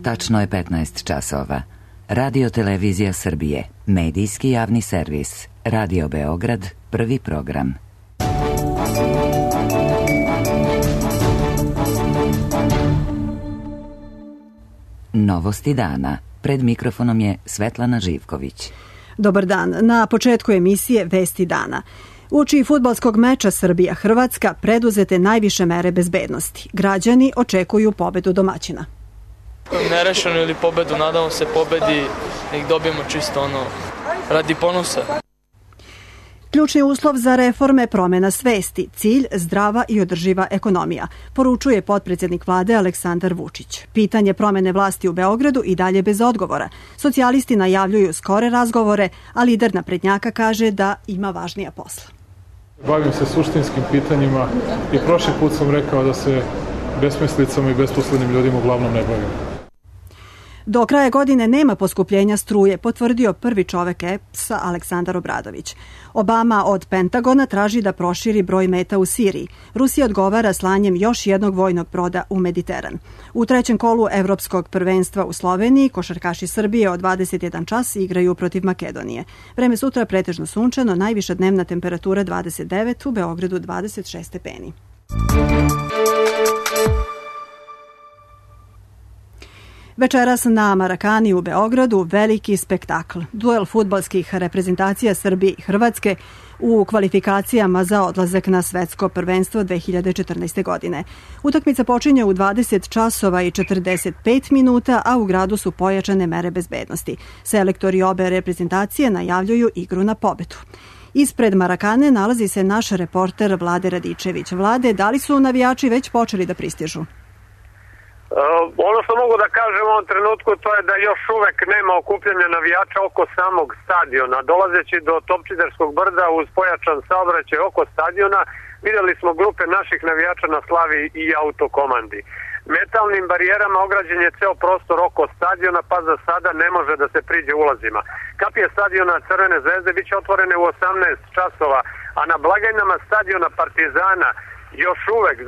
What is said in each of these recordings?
Tačno je 15 časova. Radio Televizija Srbije, medijski javni servis, Radio Beograd, prvi program. Novosti dana. Pred mikrofonom je Svetlana Živković. Dobar dan. Na početku emisije Vesti dana. Uoči fudbalskog meča Srbija-Hrvatska preduzete najviše mere bezbednosti. Građani očekuju pobedu domaćina. Nerešeno ili pobedu, nadamo se pobedi, nek dobijemo čisto radi ponosa. Ključni uslov za reforme promjena svesti, cilj zdrava i održiva ekonomija, poručuje potpredsjednik vlade Aleksandar Vučić. Pitanje promjene vlasti u Beogradu i dalje bez odgovora. Socijalisti najavljuju skore razgovore, a lider naprednjaka kaže da ima važnija posla. Bavim se suštinskim pitanjima i prošli put sam rekao da se besmislicama i besposlenim ljudima uglavnom ne bavim. Do kraja godine nema poskupljenja struje, potvrdio prvi čovek EPS-a Aleksandar Obradović. Obama od Pentagona traži da proširi broj meta u Siriji. Rusija odgovara slanjem još jednog vojnog broda u Mediteran. U trećem kolu Evropskog prvenstva u Sloveniji košarkaši Srbije od 21 čas igraju protiv Makedonije. Vreme sutra pretežno sunčano, najviša dnevna temperatura 29, u Beogradu 26 stepeni. Večeras na Marakani u Beogradu veliki spektakl. Duel fudbalskih reprezentacija Srbije i Hrvatske u kvalifikacijama za odlazak na svetsko prvenstvo 2014. godine. Utakmica počinje u 20 časova i 45 minuta, a u gradu su pojačane mere bezbednosti. Selektori obe reprezentacije najavljuju igru na pobedu. Ispred Marakane nalazi se naš reporter Vlade Radičević. Vlade, da li su navijači već počeli da pristižu? Ono što mogu da kažem u ovom trenutku to je da još uvek nema okupljanja navijača oko samog stadiona. Dolazeći do Topčiderskog brda uz pojačan saobraćaj oko stadiona vidjeli smo grupe naših navijača na slavi i autokomandi. Metalnim barijerama ograđen je ceo prostor oko stadiona, pa za sada ne može da se priđe ulazima. Kapije stadiona Crvene zvezde biće otvorene u 18 časova, a na blagajnama stadiona Partizana još uvek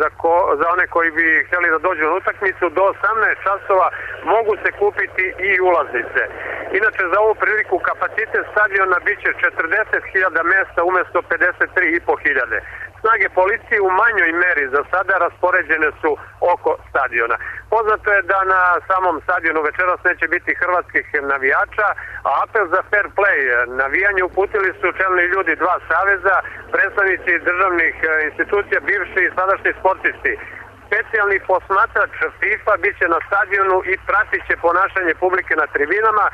za one koji bi htjeli da dođu na utakmicu do 18 časova mogu se kupiti i ulaznice. Inače za ovu priliku kapacitet stadiona biće 40.000 mesta umjesto 53.500. Snage policije u manjoj meri za sada raspoređene su oko stadiona. Poznato je da na samom stadionu večeras neće biti hrvatskih navijača, a apel za fair play navijanje uputili su čelni ljudi dva saveza, predstavnici državnih institucija, bivši i sadašnji sportisti. Specijalni posmatrač FIFA biće na stadionu i pratit će ponašanje publike na tribinama,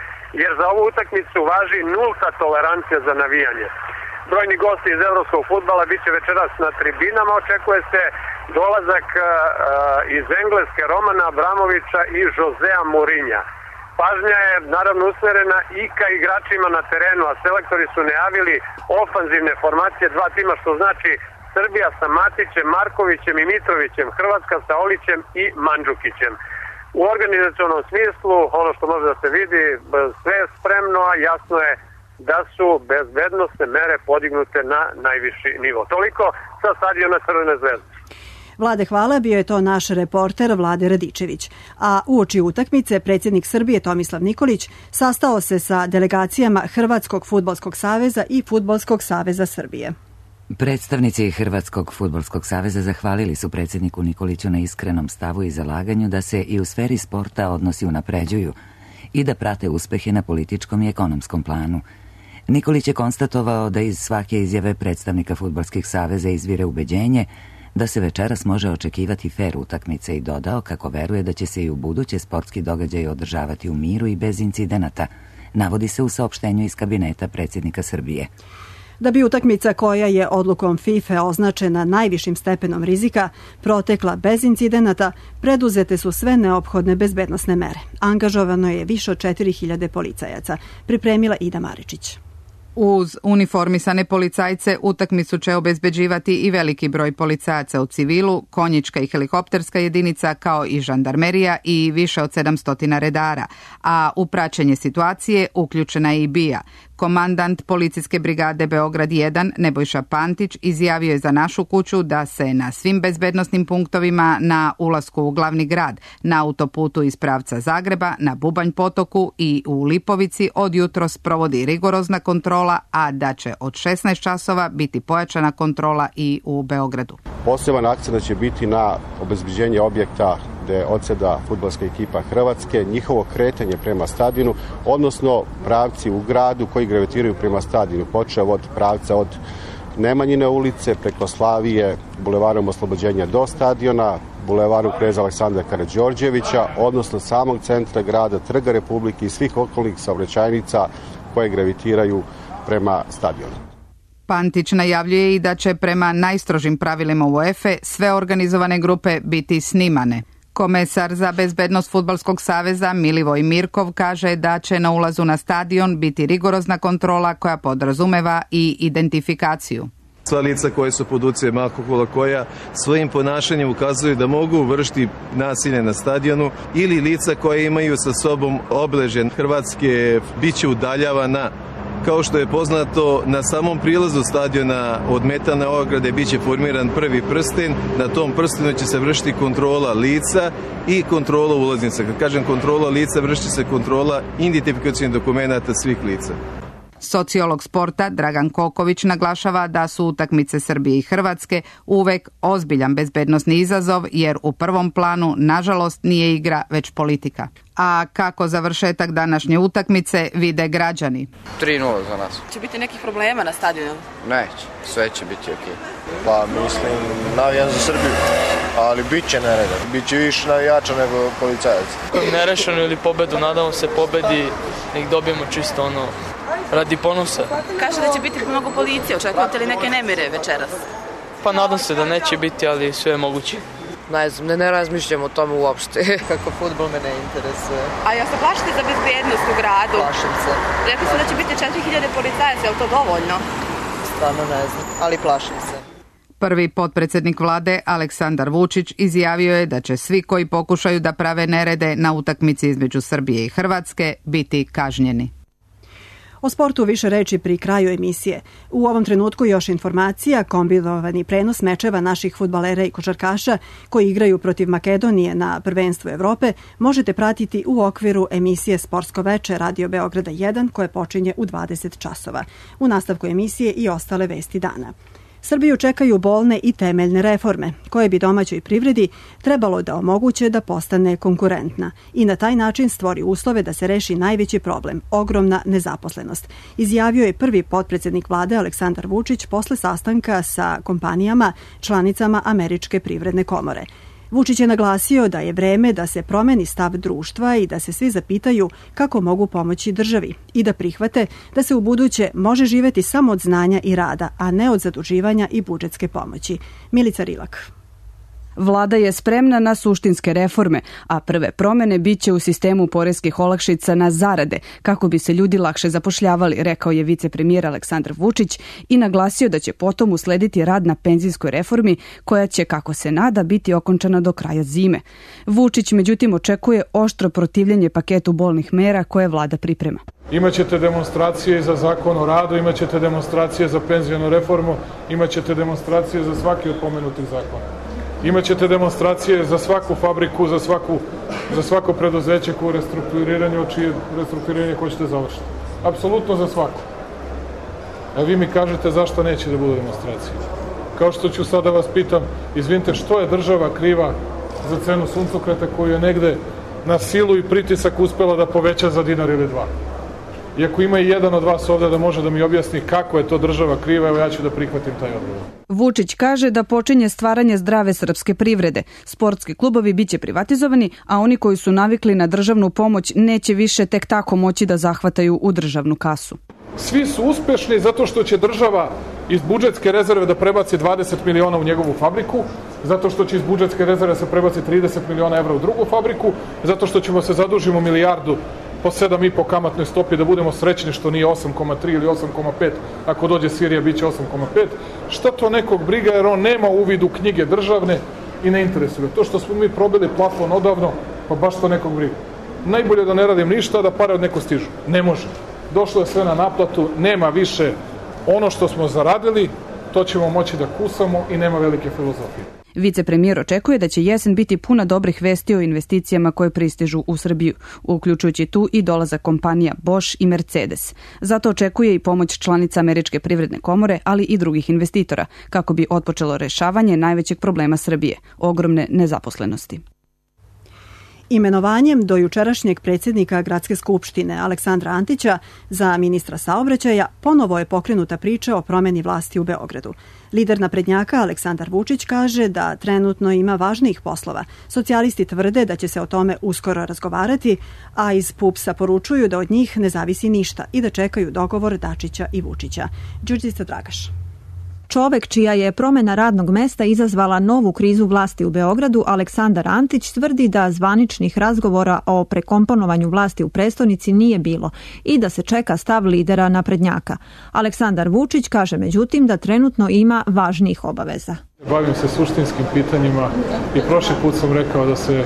jer za ovu utakmicu važi nulta tolerancija za navijanje. Brojni gosti iz evropskog fudbala biće večeras na tribinama, očekuje se dolazak iz Engleske Romana Abramovića i Josea Mourinha. Pažnja je naravno usmerena i ka igračima na terenu, a selektori su najavili ofanzivne formacije dva tima, što znači Srbija sa Matićem, Markovićem i Mitrovićem, Hrvatska sa Olićem i Mandžukićem. U organizacionom smislu, ono što može da se vidi, sve je spremno, a jasno je da su bezbednosne mere podignute na najviši nivo. Toliko sa stadiona Crvene zvezde. Vlade, hvala, bio je to naš reporter Vlade Radičević. A uoči utakmice predsjednik Srbije Tomislav Nikolić sastao se sa delegacijama Hrvatskog fudbalskog saveza i Fudbalskog saveza Srbije. Predstavnici Hrvatskog fudbalskog saveza zahvalili su predsjedniku Nikoliću na iskrenom stavu i zalaganju da se i u sferi sporta odnosi unapređuju i da prate uspehe na političkom i ekonomskom planu. Nikolić je konstatovao da iz svake izjave predstavnika fudbalskih saveza izvire ubeđenje da se večeras može očekivati fer utakmice i dodao kako veruje da će se i u buduće sportski događaji održavati u miru i bez incidenata, navodi se u saopštenju iz kabineta predsjednika Srbije. Da bi utakmica koja je odlukom FIFA označena najvišim stepenom rizika protekla bez incidenata, preduzete su sve neophodne bezbednosne mere. Angažovano je više od 4.000 policajaca, pripremila Ida Maričić. Uz uniformisane policajce utakmicu će obezbeđivati i veliki broj policajaca u civilu, konjička i helikopterska jedinica kao i žandarmerija i više od 700 redara, a u praćenje situacije uključena je i BIA, Komandant policijske brigade Beograd 1 Nebojša Pantić izjavio je za Našu kuću da se na svim bezbednosnim punktovima na ulasku u glavni grad, na autoputu iz pravca Zagreba, na Bubanj potoku i u Lipovici od jutros provodi rigorozna kontrola, a da će od 16 časova biti pojačana kontrola i u Beogradu. Poseban akcent će biti na obezbeđenje objekta gde odseda fudbalska ekipa Hrvatske, njihovo kretanje prema stadionu, odnosno pravci u gradu koji gravitiraju prema stadionu, počev od pravca od Nemanjine ulice, preko Slavije, bulevarom Oslobođenja do stadiona, bulevarom Kneza Aleksandra Karađorđevića, odnosno samog centra grada, Trga Republike i svih okolnih saobraćajnica koje gravitiraju prema stadionu. Pantić najavljuje i da će prema najstrožim pravilima UEFA sve organizovane grupe biti snimane. Komesar za bezbednost Fudbalskog saveza Milivoj Mirkov kaže da će na ulazu na stadion biti rigorozna kontrola koja podrazumeva i identifikaciju. Sva lica koje su pod utjecajem alkohola, koja svojim ponašanjem ukazuju da mogu vršiti nasilje na stadionu, ili lica koje imaju sa sobom obeležje Hrvatske, bit će udaljavana. Kao što je poznato, na samom prilazu stadiona od metalne ograde bit će formiran prvi prsten. Na tom prstenu će se vršiti kontrola lica i kontrola ulaznica. Kad kažem kontrola lica, vrši se kontrola identifikacijnih dokumenata svih lica. Sociolog sporta Dragan Koković naglašava da su utakmice Srbije i Hrvatske uvek ozbiljan bezbednosni izazov, jer u prvom planu, nažalost, nije igra, već politika. A kako završetak današnje utakmice vide građani? 3-0 za nas. Će biti nekih problema na stadionu? Neće, sve će biti okej. Pa mislim, navijam za Srbiju, ali bit će nereda. Biće više navijača nego policajaca. Nerešeno ili pobedu, nadamo se pobedi, nek dobijemo čisto radi ponosa. Kaže da će biti mnogo policije, očekujete li neke nemire večeras? Pa nadam se da neće biti, ali sve je moguće. Ne znam, ne razmišljam o tome uopšte. Kako fudbal me ne interesuje. A ja se plašite za bezbednost u gradu? Plašim se. Rekli su da će biti 4000 policajaca, je li to dovoljno? Stvarno ne znam, ali plašim se. Prvi potpredsjednik vlade Aleksandar Vučić izjavio je da će svi koji pokušaju da prave nerede na utakmici između Srbije i Hrvatske biti kažnjeni. O sportu više reči pri kraju emisije. U ovom trenutku još informacija, kombinovani prenos mečeva naših fudbalera i košarkaša koji igraju protiv Makedonije na prvenstvu Evrope možete pratiti u okviru emisije Sportsko veče Radio Beograda 1 koje počinje u 20 časova. U nastavku emisije i ostale vesti dana. Srbiju čekaju bolne i temeljne reforme, koje bi domaćoj privredi trebalo da omoguće da postane konkurentna i na taj način stvori uslove da se reši najveći problem, ogromna nezaposlenost, izjavio je prvi potpredsjednik vlade Aleksandar Vučić posle sastanka sa kompanijama članicama Američke privredne komore. Vučić je naglasio da je vreme da se promeni stav društva i da se svi zapitaju kako mogu pomoći državi i da prihvate da se u buduće može živeti samo od znanja i rada, a ne od zaduživanja i budžetske pomoći. Milica Rilak. Vlada je spremna na suštinske reforme, a prve promene biće u sistemu poreskih olakšica na zarade, kako bi se ljudi lakše zapošljavali, rekao je vicepremijer Aleksandar Vučić i naglasio da će potom uslediti rad na penzijskoj reformi, koja će, kako se nada, biti okončana do kraja zime. Vučić, međutim, očekuje oštro protivljenje paketu bolnih mera koje vlada priprema. Imaćete demonstracije za zakon o radu, imaćete demonstracije za penzijonu reformu, imaćete demonstracije za svaki od pomenutih zakona. Imaćete demonstracije za svaku fabriku, za svako preduzeće koje restrukturiranju, čije restrukturiranje hoćete završiti. Apsolutno za svako. A vi mi kažete zašto neće da budu demonstracije. Kao što ću sada vas pitam, izvinite, što je država kriva za cenu suncokreta koju je negde na silu i pritisak uspela da poveća za dinar ili dva? I ako ima i jedan od vas ovde da može da mi objasni kako je to država kriva, evo ja ću da prihvatim taj odgovor. Vučić kaže da počinje stvaranje zdrave srpske privrede. Sportski klubovi biće privatizovani, a oni koji su navikli na državnu pomoć neće više tek tako moći da zahvataju u državnu kasu. Svi su uspešni zato što će država iz budžetske rezerve da prebaci 20 miliona u njegovu fabriku, zato što će iz budžetske rezerve se prebaci 30 miliona evra u drugu fabriku, zato što ćemo se zadužimo milijardu po 7,5 kamatnoj stopi da budemo srećni što nije 8,3 ili 8,5, ako dođe Sirija biće 8,5. Šta to nekog briga jer on nema uvid u knjige državne i ne interesuje. To što smo mi probili plafon odavno, pa baš to nekog briga. Najbolje da ne radim ništa, da pare od neko stižu. Ne može. došlo je sve na naplatu, nema više ono što smo zaradili, to ćemo moći da kusamo i nema velike filozofije. Vicepremijer očekuje da će jesen biti puna dobrih vesti o investicijama koje pristižu u Srbiju, uključujući tu i dolazak kompanija Bosch i Mercedes. Zato očekuje i pomoć članica Američke privredne komore, ali i drugih investitora, kako bi otpočelo rešavanje najvećeg problema Srbije, ogromne nezaposlenosti. Imenovanjem do jučerašnjeg predsjednika Gradske skupštine Aleksandra Antića za ministra saobraćaja ponovo je pokrenuta priča o promjeni vlasti u Beogradu. Lider naprednjaka Aleksandar Vučić kaže da trenutno ima važnijih poslova. Socijalisti tvrde da će se o tome uskoro razgovarati, a iz PUPS-a poručuju da od njih ne zavisi ništa i da čekaju dogovor Dačića i Vučića. Đurđica Dragaš. Čovek čija je promjena radnog mesta izazvala novu krizu vlasti u Beogradu, Aleksandar Antić, tvrdi da zvaničnih razgovora o prekomponovanju vlasti u prestonici nije bilo i da se čeka stav lidera naprednjaka. Aleksandar Vučić kaže međutim da trenutno ima važnijih obaveza. Bavim se suštinskim pitanjima i prošli put sam rekao da se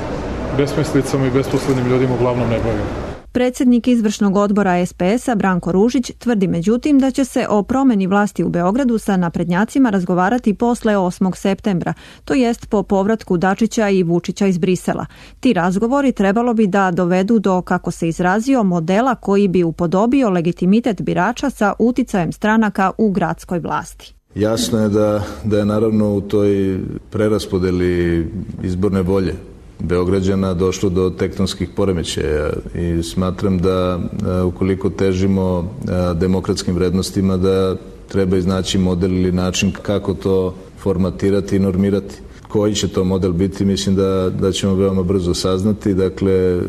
besmislicama i besposlednim ljudima uglavnom ne bavim. Predsjednik izvršnog odbora SPS-a Branko Ružić tvrdi međutim da će se o promjeni vlasti u Beogradu sa naprednjacima razgovarati posle 8. septembra, to jest po povratku Dačića i Vučića iz Brisela. Ti razgovori trebalo bi da dovedu do, kako se izrazio, modela koji bi upodobio legitimitet birača sa uticajem stranaka u gradskoj vlasti. Jasno je da je naravno u toj preraspodeli izborne volje Beograđana došlo do tektonskih poremećaja i smatram da ukoliko težimo demokratskim vrednostima da treba iznaći model ili način kako to formatirati i normirati. Koji će to model biti, mislim da ćemo veoma brzo saznati. Dakle,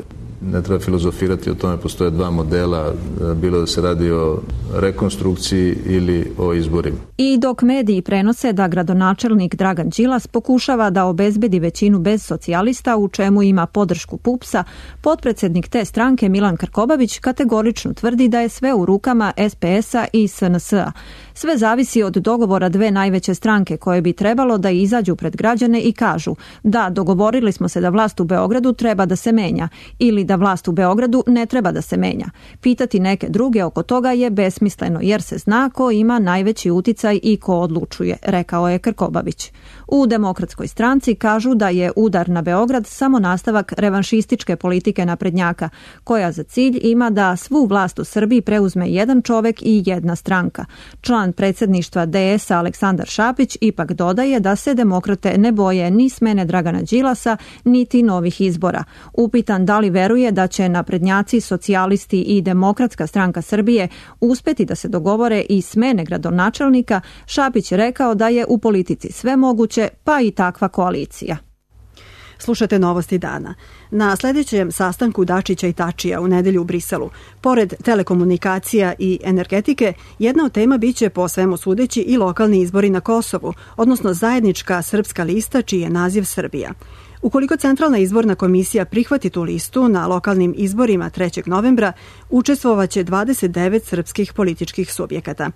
ne treba filozofirati o tome, postoje dva modela, bilo da se radi o rekonstrukciji ili o izborima. I dok mediji prenose da gradonačelnik Dragan Đilas pokušava da obezbedi većinu bez socijalista, u čemu ima podršku PUPS-a, potpredsjednik te stranke Milan Krkobabić kategorično tvrdi da je sve u rukama SPS-a i SNS-a. Sve zavisi od dogovora dve najveće stranke koje bi trebalo da izađu pred građane i kažu da dogovorili smo se da vlast u Beogradu treba da se menja ili da vlast u Beogradu ne treba da se menja. Pitati neke druge oko toga je besmisleno jer se zna ko ima najveći uticaj i ko odlučuje, rekao je Krkobabić. U Demokratskoj stranci kažu da je udar na Beograd samo nastavak revanšističke politike naprednjaka, koja za cilj ima da svu vlast u Srbiji preuzme jedan čovek i jedna stranka. Član predsjedništva DS-a Aleksandar Šapić ipak dodaje da se demokrate ne boje ni smene Dragana Đilasa, niti novih izbora. Upitan da li veruje da će naprednjaci, socijalisti i Demokratska stranka Srbije uspeti da se dogovore i smene gradonačelnika, Šapić je rekao da je u politici sve moguće, pa i takva koalicija. Slušate novosti dana. Na sljedećem sastanku Dačića i Tačija u nedelju u Briselu, pored telekomunikacija i energetike, jedna od tema biće po svemu sudeći i lokalni izbori na Kosovu, odnosno zajednička srpska lista čiji je naziv Srbija. Ukoliko Centralna izborna komisija prihvati tu listu na lokalnim izborima 3. novembra, učestvovaće 29 srpskih političkih subjekata.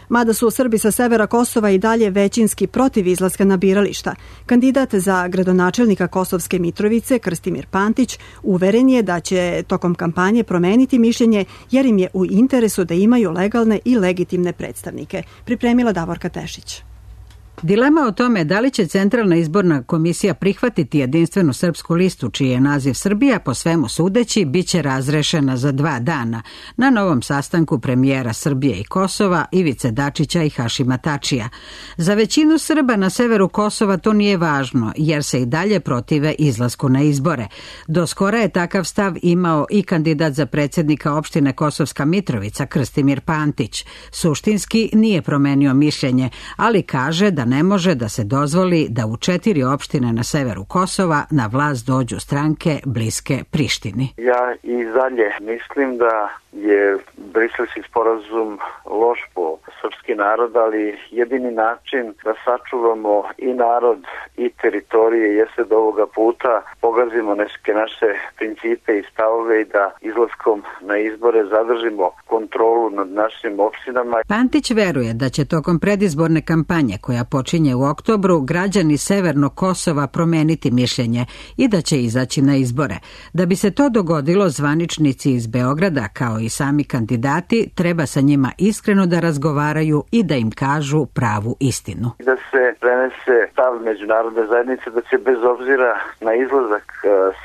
Mada su Srbi sa severa Kosova i dalje većinski protiv izlaska na birališta, kandidat za gradonačelnika Kosovske Mitrovice, Krstimir Pantić, uveren je da će tokom kampanje promeniti mišljenje jer im je u interesu da imaju legalne i legitimne predstavnike. Pripremila Davorka Tešić. Dilema o tome da li će Centralna izborna komisija prihvatiti jedinstvenu srpsku listu čiji je naziv Srbija, po svemu sudeći, bit će razrešena za 2 dana na novom sastanku premijera Srbije i Kosova, Ivice Dačića i Hašima Tačija. Za većinu Srba na severu Kosova to nije važno, jer se i dalje protive izlasku na izbore. Do skora je takav stav imao i kandidat za predsjednika opštine Kosovska Mitrovica, Krstimir Pantić. Suštinski nije promenio mišljenje, ali kaže da ne može da se dozvoli da u 4 opštine na severu Kosova na vlast dođu stranke bliske Prištini. Ja i dalje mislim da je Briselski sporazum loš po srpski narod, ali jedini način da sačuvamo i narod i teritorije jeste da ovoga puta pogazimo neke naše principe i stavove i da izlaskom na izbore zadržimo kontrolu nad našim opštinama. Pantić veruje da će tokom predizborne kampanje koja počinje u oktobru građani severnog Kosova promeniti mišljenje i da će izaći na izbore. Da bi se to dogodilo, zvaničnici iz Beograda kao i sami kandidati, treba sa njima iskreno da razgovaraju i da im kažu pravu istinu. Da se prenese stav međunarodne zajednice da će bez obzira na izlazak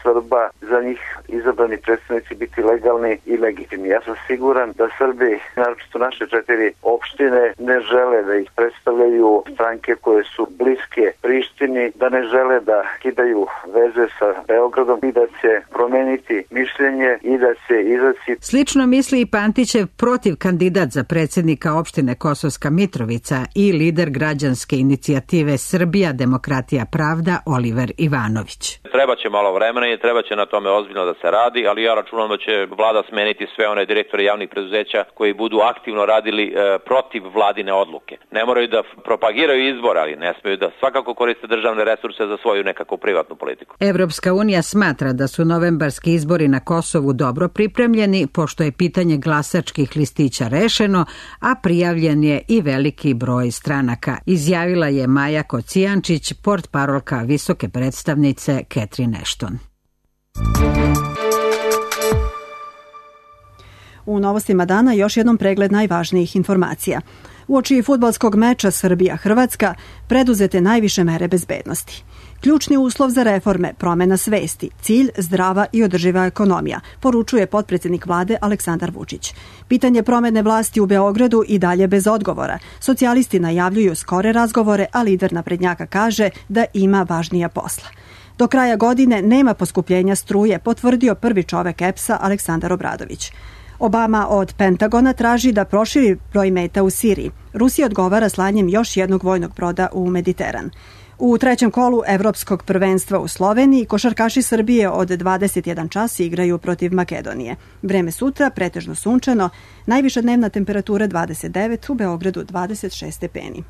Srba za njih izabrani predstavnici biti legalni i legitimni. Ja sam siguran da Srbi, naročito naše 4 opštine, ne žele da ih predstavljaju stranke koje su bliske Prištini, da ne žele da kidaju veze sa Beogradom i da će promeniti mišljenje i da će izaći. Slično misli i Pantićev protiv kandidat za predsjednika opštine Kosovska Mitrovica i lider građanske inicijative Srbija, Demokratija, Pravda, Oliver Ivanović. Treba će malo vremena i treba će na tome ozbiljno da se radi, ali ja računam da će vlada smeniti sve one direktore javnih preduzeća koji budu aktivno radili protiv vladine odluke. Ne moraju da propagiraju izbor, ali ne smeju da svakako koriste državne resurse za svoju nekakvu privatnu politiku. Evropska unija smatra da su novembarski izbori na Kosovu dobro pripremljeni, pošto je pitanje glasačkih listića rešeno, a prijavljen je i veliki broj stranaka, izjavila je Maja Kocijančić, portparolka visoke predstavnice Catherine Ashton. U novostima dana još jednom pregled najvažnijih informacija. Uoči fudbalskog meča Srbija-Hrvatska preduzete najviše mere bezbednosti. Ključni uslov za reforme, promena svesti, cilj zdrava i održiva ekonomija, poručuje potpredsjednik vlade Aleksandar Vučić. Pitanje promene vlasti u Beogradu i dalje bez odgovora. Socijalisti najavljuju skore razgovore, a lider naprednjaka kaže da ima važnija posla. Do kraja godine nema poskupljenja struje, potvrdio prvi čovek EPS-a Aleksandar Obradović. Obama od Pentagona traži da proširi broj meta u Siriji. Rusija odgovara slanjem još jednog vojnog broda u Mediteran. U trećem kolu Evropskog prvenstva u Sloveniji košarkaši Srbije od 21 čas igraju protiv Makedonije. Vreme sutra pretežno sunčano, najviša dnevna temperatura 29, u Beogradu 26 stepeni.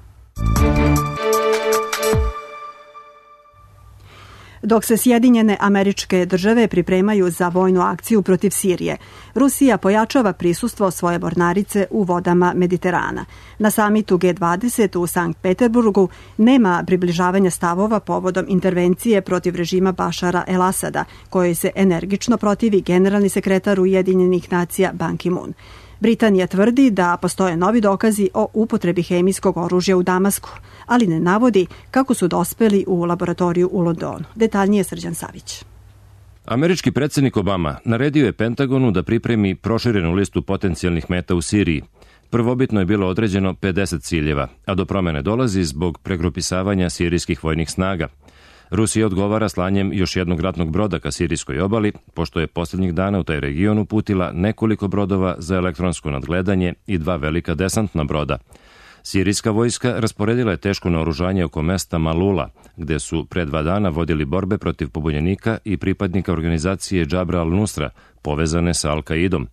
Dok se Sjedinjene Američke Države pripremaju za vojnu akciju protiv Sirije, Rusija pojačava prisustvo svoje mornarice u vodama Mediterana. Na samitu G20 u Sankt Peterburgu nema približavanja stavova povodom intervencije protiv režima Bašara el-Asada, kojoj se energično protivi generalni sekretar Ujedinjenih nacija Ban Ki-moon. Britanija tvrdi da postoje novi dokazi o upotrebi hemijskog oružja u Damasku, ali ne navodi kako su dospeli u laboratoriju u Londonu. Detaljnije Srđan Savić. Američki predsjednik Obama naredio je Pentagonu da pripremi proširenu listu potencijalnih meta u Siriji. Prvobitno je bilo određeno 50 ciljeva, a do promene dolazi zbog pregrupisavanja sirijskih vojnih snaga. Rusija odgovara slanjem još jednog ratnog broda ka sirijskoj obali, pošto je posljednjih dana u taj region uputila nekoliko brodova za elektronsko nadgledanje i 2 velika desantna broda. Sirijska vojska rasporedila je teško naoružanje oko mesta Malula, gde su pre 2 dana vodili borbe protiv pobunjenika i pripadnika organizacije Džabra al-Nusra, povezane sa Al-Kaidom.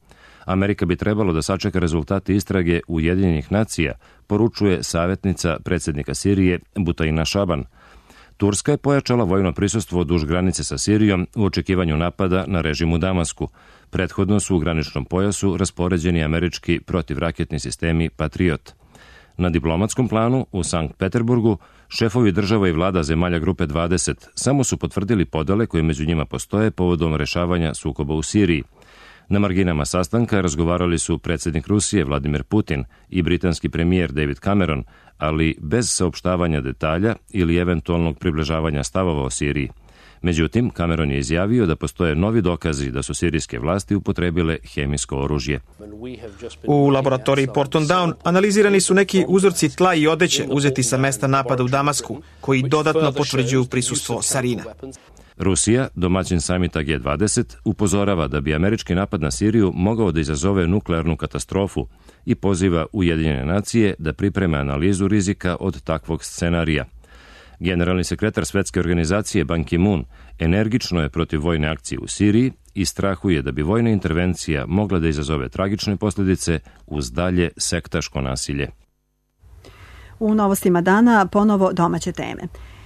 Amerika bi trebalo da sačeka rezultate istrage Ujedinjenih nacija, poručuje savjetnica predsjednika Sirije Butaina Šaban. Turska je pojačala vojno prisustvo duž granice sa Sirijom u očekivanju napada na režim u Damasku. Prethodno su u graničnom pojasu raspoređeni američki protivraketni sistemi Patriot. Na diplomatskom planu u Sankt Peterburgu šefovi država i vlada zemalja grupe 20 samo su potvrdili podele koje među njima postoje povodom rešavanja sukoba u Siriji. Na marginama sastanka razgovarali su predsjednik Rusije Vladimir Putin i britanski premijer David Cameron, ali bez saopštavanja detalja ili eventualnog približavanja stavova o Siriji. Međutim, Cameron je izjavio da postoje novi dokazi da su sirijske vlasti upotrebile hemijsko oružje. U laboratoriji Porton Down analizirani su neki uzorci tla i odeće uzeti sa mesta napada u Damasku, koji dodatno potvrđuju prisustvo sarina. Rusija, domaćin samita G20, upozorava da bi američki napad na Siriju mogao da izazove nuklearnu katastrofu i poziva Ujedinjene nacije da pripreme analizu rizika od takvog scenarija. Generalni sekretar Svetske organizacije Ban Ki-moon energično je protiv vojne akcije u Siriji i strahuje da bi vojna intervencija mogla da izazove tragične posljedice uz dalje sektaško nasilje. U novostima dana ponovo domaće teme.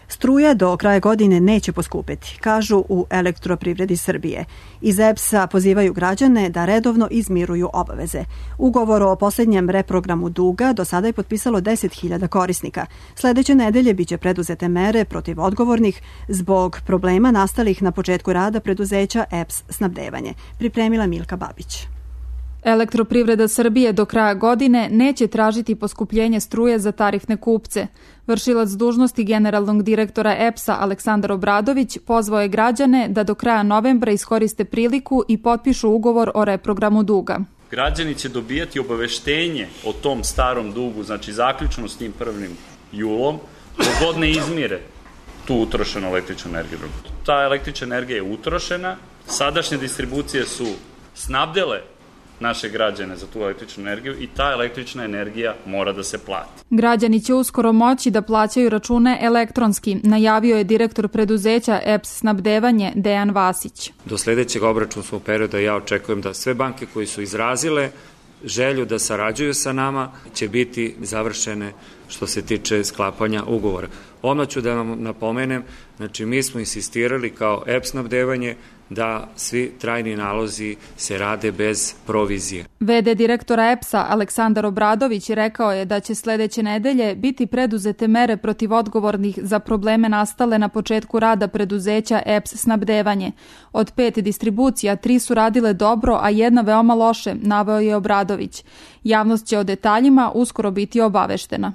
Struja do kraja godine neće poskupeti, kažu u Elektroprivredi Srbije. Iz EPS-a pozivaju građane da redovno izmiruju obaveze. Ugovor o posljednjem reprogramu duga do sada je potpisalo 10.000 korisnika. Sledeće nedelje biće preduzete mere protiv odgovornih zbog problema nastalih na početku rada preduzeća EPS snabdevanje. Pripremila Milka Babić. Elektroprivreda Srbije do kraja godine neće tražiti poskupljenje struje za tarifne kupce. Vršilac dužnosti generalnog direktora EPS-a Aleksandar Obradović pozvao je građane da do kraja novembra iskoriste priliku i potpišu ugovor o reprogramu duga. Građani će dobijati obaveštenje o tom starom dugu, znači zaključno s njim 1. julom, dok god ne izmire tu utrošenu električnu energiju. Ta električna energija je utrošena, sadašnje distribucije su snabdele naše građane za tu električnu energiju i ta električna energija mora da se plati. Građani će uskoro moći da plaćaju račune elektronski, najavio je direktor preduzeća EPS snabdevanje Dejan Vasić. Do sledećeg obračunskog perioda ja očekujem da sve banke koji su izrazile želju da sarađuju sa nama će biti završene što se tiče sklapanja ugovora. Odmah ću da vam napomenem, znači mi smo insistirali kao EPS snabdevanje da svi trajni nalozi se rade bez provizije. VD direktora EPS-a Aleksandar Obradović rekao je da će sledeće nedelje biti preduzete mere protiv odgovornih za probleme nastale na početku rada preduzeća EPS snabdevanje. Od 5 distribucija 3 su radile dobro, a 1 veoma loše, naveo je Obradović. Javnost će o detaljima uskoro biti obaveštena.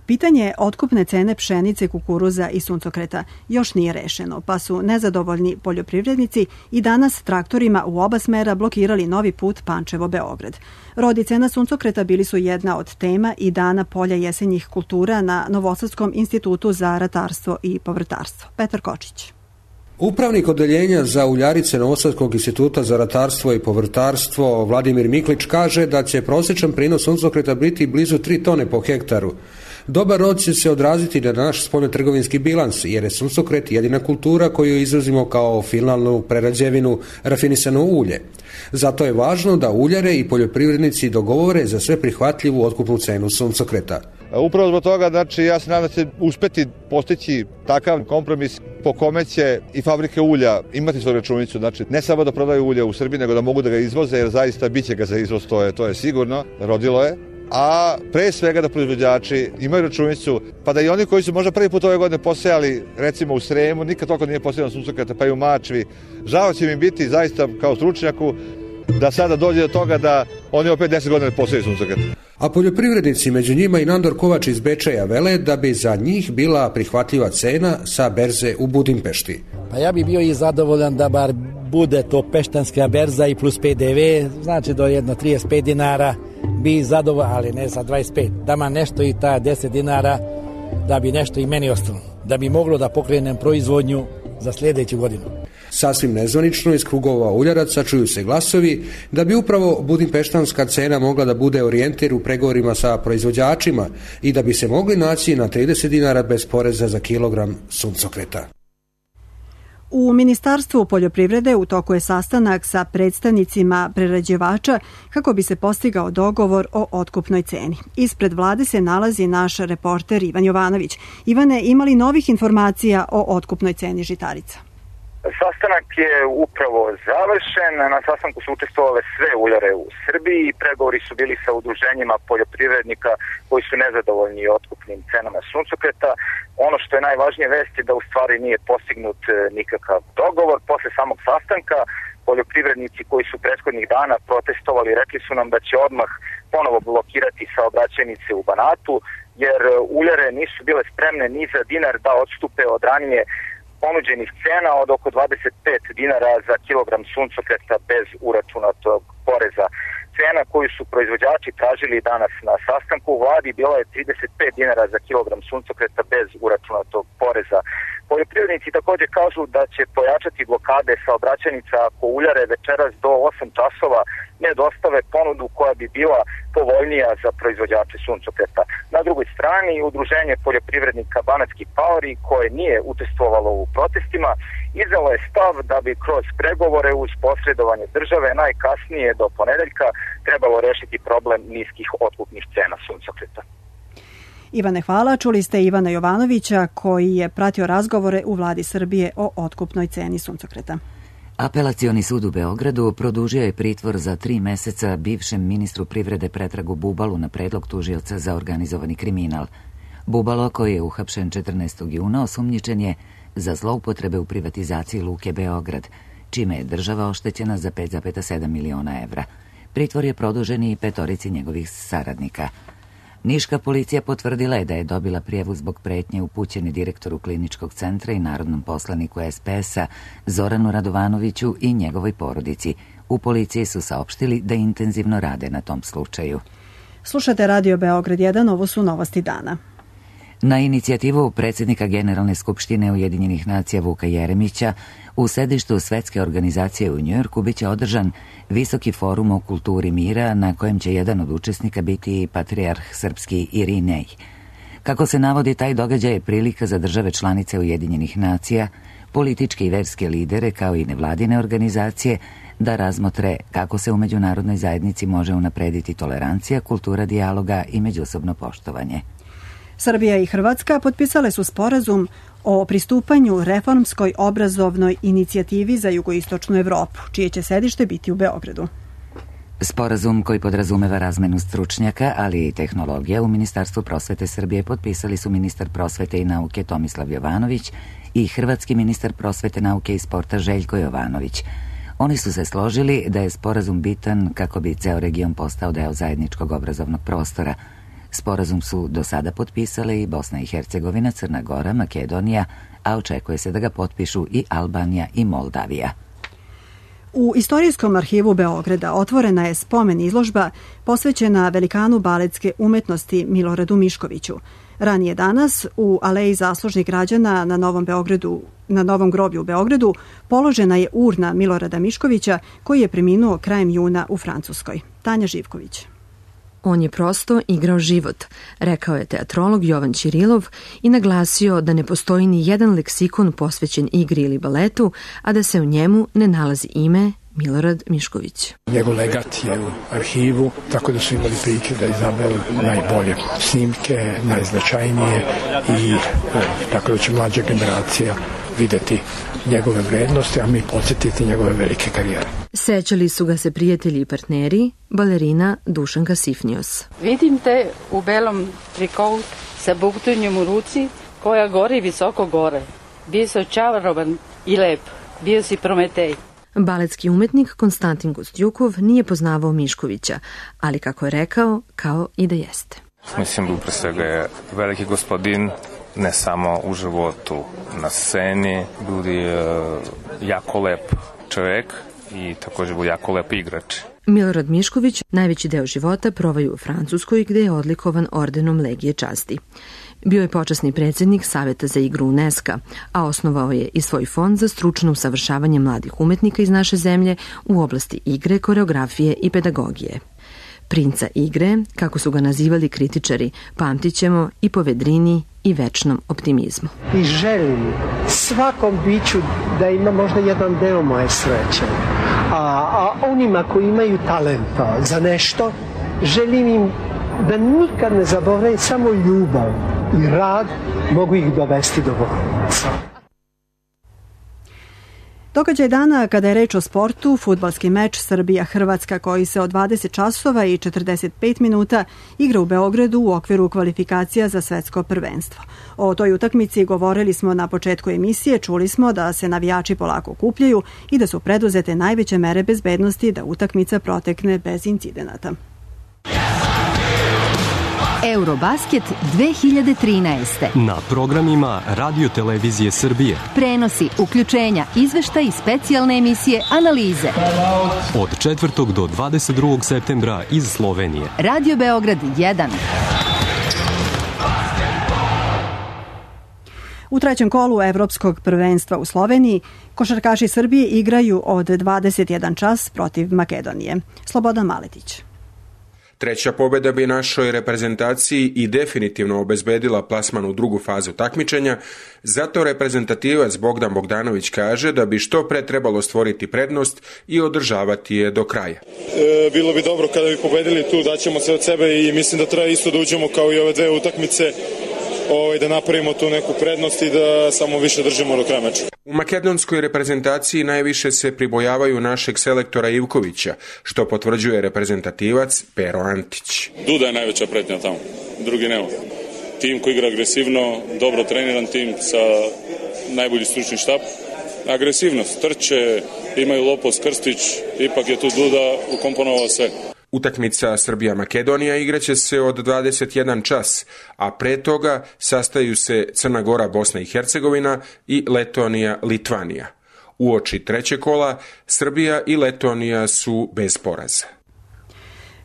Pitanje otkupne cene pšenice, kukuruza i suncokreta još nije rešeno, pa su nezadovoljni poljoprivrednici i danas traktorima u oba smera blokirali novi put Pančevo-Beograd. Rod i cena suncokreta bili su jedna od tema i dana polja jesenjih kultura na Novosadskom institutu za ratarstvo i povrtarstvo. Petar Kočić. Upravnik odeljenja za uljarice Novosadskog instituta za ratarstvo i povrtarstvo Vladimir Miklić kaže da će prosječan prinos suncokreta biti blizu 3 tone po hektaru. Dobar rod će se odraziti na naš spoljnotrgovinski bilans, jer je suncokret jedina kultura koju izvozimo kao finalnu prerađevinu rafinisano ulje. Zato je važno da uljare i poljoprivrednici dogovore za sve prihvatljivu otkupnu cenu suncokreta. Upravo zbog toga, znači, ja se nadam da će uspeti postići takav kompromis po kome će i fabrike ulja imati svoju računicu, znači ne samo da prodaju ulje u Srbiji, nego da mogu da ga izvoze, jer zaista biće ga za izvoz, to je sigurno, rodilo je. A pre svega da proizvođači imaju računicu, pa da i oni koji su možda prvi put ove godine posejali, recimo u Sremu, nikad toliko nije posejano suncokreta, pa i u Mačvi. Žao će mi biti zaista kao stručnjaku da sada dođe do toga da oni opet 10 godina poseju suncokret. A poljoprivrednici, među njima i Nandor Kovač iz Bečeja, vele da bi za njih bila prihvatljiva cena sa berze u Budimpešti. Pa ja bi bio i zadovoljan da bar bude to peštanska berza i plus PDV, znači do jedno 35 dinara bi zadovoljan, ali ne sa 25. Dama nešto i ta 10 dinara da bi nešto i meni ostalo, da bi moglo da pokrenem proizvodnju za sljedeću godinu. Sasvim nezvanično iz krugova uljaraca čuju se glasovi da bi upravo budimpeštanska cena mogla da bude orijentir u pregovorima sa proizvođačima i da bi se mogli naći na 30 dinara bez poreza za kilogram suncokreta. U Ministarstvu poljoprivrede u toku je sastanak sa predstavnicima prerađivača kako bi se postigao dogovor o otkupnoj ceni. Ispred vlade se nalazi naš reporter Ivan Jovanović. Ivane, ima li novih informacija o otkupnoj ceni žitarica? Sastanak je upravo završen. Na sastanku su učestvovale sve uljare u Srbiji i pregovori su bili sa udruženjima poljoprivrednika koji su nezadovoljni otkupnim cenama suncokreta. Ono što je najvažnije vest je da u stvari nije postignut nikakav dogovor. Posle samog sastanka poljoprivrednici koji su prethodnih dana protestovali rekli su nam da će odmah ponovo blokirati saobraćajnice u Banatu jer uljare nisu bile spremne ni za dinar da odstupe od ranije ponuđenih cena od oko 25 dinara za kilogram suncokreta bez uračunatog poreza. Cena koju su proizvođači tražili danas na sastanku u vladi bila je 35 dinara za kilogram suncokreta bez uračunatog poreza. Poljoprivrednici također kažu da će pojačati blokade saobraćajnica ako uljare večeras do 8 časova ne dostave ponudu koja bi bila povoljnija za proizvođače suncokreta. Na drugoj strani, udruženje poljoprivrednika Banatski paori, koje nije učestvovalo u protestima, izdalo je stav da bi kroz pregovore uz posredovanje države najkasnije do ponedeljka trebalo rešiti problem niskih otkupnih cena suncokreta. Ivane, hvala. Čuli ste Ivana Jovanovića koji je pratio razgovore u vladi Srbije o otkupnoj ceni suncokreta. Apelacioni sud u Beogradu produžio je pritvor za 3 meseca bivšem ministru privrede Pretragu Bubalu na predlog tužioca za organizovani kriminal. Bubalo, koji je uhapšen 14. juna, osumnjičen je za zloupotrebe u privatizaciji Luke Beograd. čime je država oštećena za 5,7 miliona evra. Pritvor je produžen i 5 njegovih saradnika. Niška policija potvrdila je da je dobila prijavu zbog pretnje upućene direktoru kliničkog centra i narodnom poslaniku SPS-a Zoranu Radovanoviću i njegovoj porodici. U policiji su saopštili da intenzivno rade na tom slučaju. Slušate Radio Beograd 1, ovo su novosti dana. Na inicijativu predsjednika Generalne skupštine Ujedinjenih nacija Vuka Jeremića u sedištu Svetske organizacije u Njujorku biće održan visoki forum o kulturi mira na kojem će jedan od učesnika biti patrijarh srpski Irinej. Kako se navodi, taj događaj je prilika za države članice Ujedinjenih nacija, političke i verske lidere kao i nevladine organizacije da razmotre kako se u međunarodnoj zajednici može unaprediti tolerancija, kultura dijaloga i međusobno poštovanje. Srbija i Hrvatska potpisale su sporazum o pristupanju reformskoj obrazovnoj inicijativi za jugoistočnu Evropu, čije će sedište biti u Beogradu. Sporazum koji podrazumeva razmenu stručnjaka, ali i tehnologija u Ministarstvu prosvete Srbije potpisali su ministar prosvete i nauke Tomislav Jovanović i hrvatski ministar prosvete, nauke i sporta Željko Jovanović. Oni su se složili da je sporazum bitan kako bi ceo region postao deo zajedničkog obrazovnog prostora. Sporazum su do sada potpisale i Bosna i Hercegovina, Crna Gora, Makedonija, a očekuje se da ga potpišu i Albanija i Moldavija. U Istorijskom arhivu Beograda otvorena je spomen izložba posvećena velikanu baletske umetnosti Miloradu Miškoviću. Ranije danas u Aleji zaslužnih građana na Novom groblju u Beogradu položena je urna Milorada Miškovića koji je preminuo krajem juna u Francuskoj. Tanja Živković. On je prosto igrao život, rekao je teatrolog Jovan Ćirilov i naglasio da ne postoji ni jedan leksikon posvećen igri ili baletu, a da se u njemu ne nalazi ime Milorad Mišković. Njegov legat je u arhivu, tako da su imali prilike da izaberu najbolje snimke, najznačajnije i tako da će mlađa generacija videti njegove vrednosti, a mi podsjetiti njegove velike karijere. Sećali su ga se prijatelji i partneri, balerina Dušanka Sifnios. Vidim te u belom trikovu sa buktunjom u ruci koja gori visoko gore. Bio si očarovan i lep, bio si Prometej. Baletski umetnik Konstantin Gostjukov nije poznavao Miškovića, ali kako je rekao, kao i da jeste. Mislim da pre svega je veliki gospodin, ne samo u životu, na sceni, budi jako lep čovjek i također budi jako lep igrač. Milorad Mišković najveći deo života provaju u Francuskoj gde je odlikovan ordenom Legije časti. Bio je počasni predsjednik Saveta za igru UNESCO, a osnovao je i svoj fond za stručno usavršavanje mladih umetnika iz naše zemlje u oblasti igre, koreografije i pedagogije. Princa igre, kako su ga nazivali kritičari, pamtit ćemo i po vedrini i večnom optimizmu. I želim svakom biću da ima možda jedan deo moje sreće. A onima koji imaju talenta za nešto, želim im da nikad ne zaboravaju samo ljubav i rad mogu ih dovesti do vrhunca. Događaj dana kada je reč o sportu, fudbalski meč Srbija-Hrvatska koji se od 20 časova i 45 minuta igra u Beogradu u okviru kvalifikacija za svetsko prvenstvo. O toj utakmici govorili smo na početku emisije, čuli smo da se navijači polako okupljaju i da su preduzete najveće mere bezbednosti da utakmica protekne bez incidenata. Eurobasket 2013. Na programima Radio Televizije Srbije. Prenosi, uključenja, izveštaj i specijalne emisije, analize. Od 4. do 22. septembra iz Slovenije. Radio Beograd 1. U trećem kolu Evropskog prvenstva u Sloveniji košarkaši Srbije igraju od 21 čas protiv Makedonije. Slobodan Maletić. Treća pobjeda bi našoj reprezentaciji i definitivno obezbedila plasman u drugu fazu takmičenja, zato reprezentativac Bogdan Bogdanović kaže da bi što pre trebalo stvoriti prednost i održavati je do kraja. Bilo bi dobro kada bi pobedili tu, daćemo se od sebe i mislim da treba isto da uđemo kao i ove dve utakmice, da napravimo tu neku prednost i da samo više držimo do kraja meča. U makedonskoj reprezentaciji najviše se pribojavaju našeg selektora Ivkovića, što potvrđuje reprezentativac Pero Antić. Duda je najveća pretnja tamo, drugi nema. Tim koji igra agresivno, dobro treniran tim sa najbolji stručni štab agresivnost, trče, imaju Lopos, Krstić, ipak je tu Duda ukomponovao sve. Utakmica Srbija-Makedonija igraće se od 21 čas, a pre toga sastaju se Crna Gora, Bosna i Hercegovina i Letonija, Litvanija. Uoči trećeg kola Srbija i Letonija su bez poraza.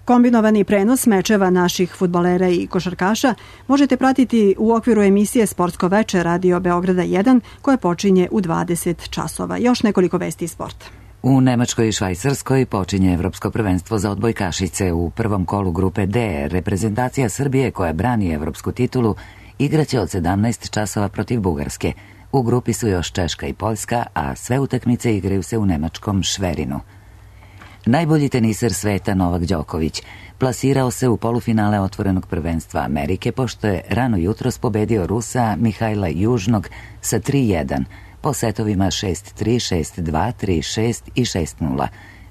Kombinovani prenos mečeva naših fudbalera i košarkaša možete pratiti u okviru emisije Sportsko veče Radio Beograda 1 koja počinje u 20 časova. Još nekoliko vesti iz sporta. U Nemačkoj i Švajcarskoj počinje Evropsko prvenstvo za odbojkašice. U prvom kolu grupe D reprezentacija Srbije koja brani evropsku titulu igraće od 17 časova protiv Bugarske. U grupi su još Češka i Poljska, a sve utakmice igraju se u nemačkom Šverinu. Najbolji teniser sveta Novak Đoković plasirao se u polufinale otvorenog prvenstva Amerike pošto je rano jutros pobedio Rusa Mihajla Južnog sa 3-1 po setovima 6-3, 6-2, 3-6 i 6-0.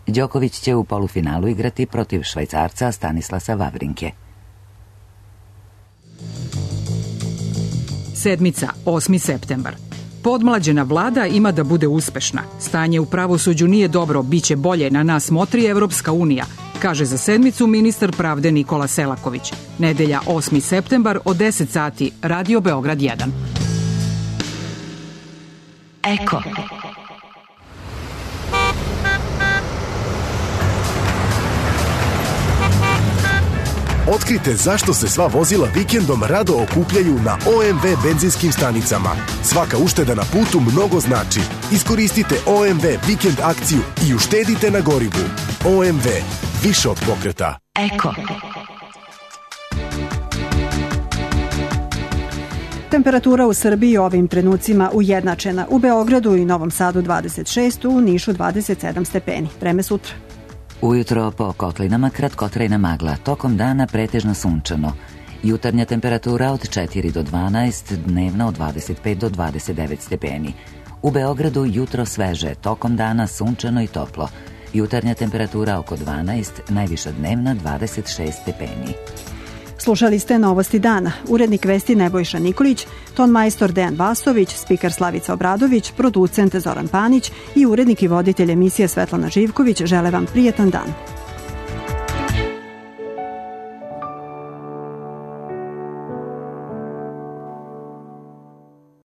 Đoković će u polufinalu igrati protiv Švajcarca Stanislasa Wawrinke. Sedmica, 8. septembar. Podmlađena vlada ima da bude uspešna. Stanje u pravosuđu nije dobro, biće bolje, na nas motri Evropska unija, kaže za sedmicu ministar pravde Nikola Selaković. Nedelja 8. septembar od 10 sati, Radio Beograd 1. Eko. Otkrite zašto se sva vozila vikendom rado okupljaju na OMV benzinskim stanicama. Svaka ušteda na putu mnogo znači. Iskoristite OMV vikend akciju i uštedite na gorivu. OMV, više od pokreta. Eko. Temperatura u Srbiji ovim trenucima ujednačena. U Beogradu i Novom Sadu 26, u Nišu 27 stepeni. Vreme sutra. Ujutro po kotlinama kratkotrajna magla, tokom dana pretežno sunčano. Jutarnja temperatura od 4 do 12, dnevna od 25 do 29 stepeni. U Beogradu jutro sveže, tokom dana sunčano i toplo. Jutarnja temperatura oko 12, najviša dnevna 26 stepeni. Slušali ste Novosti dana. Urednik vesti Nebojša Nikolić, ton majstor Dejan Vasović, spiker Slavica Obradović, producent Zoran Panić i urednik i voditelj emisije Svetlana Živković žele vam prijetan dan.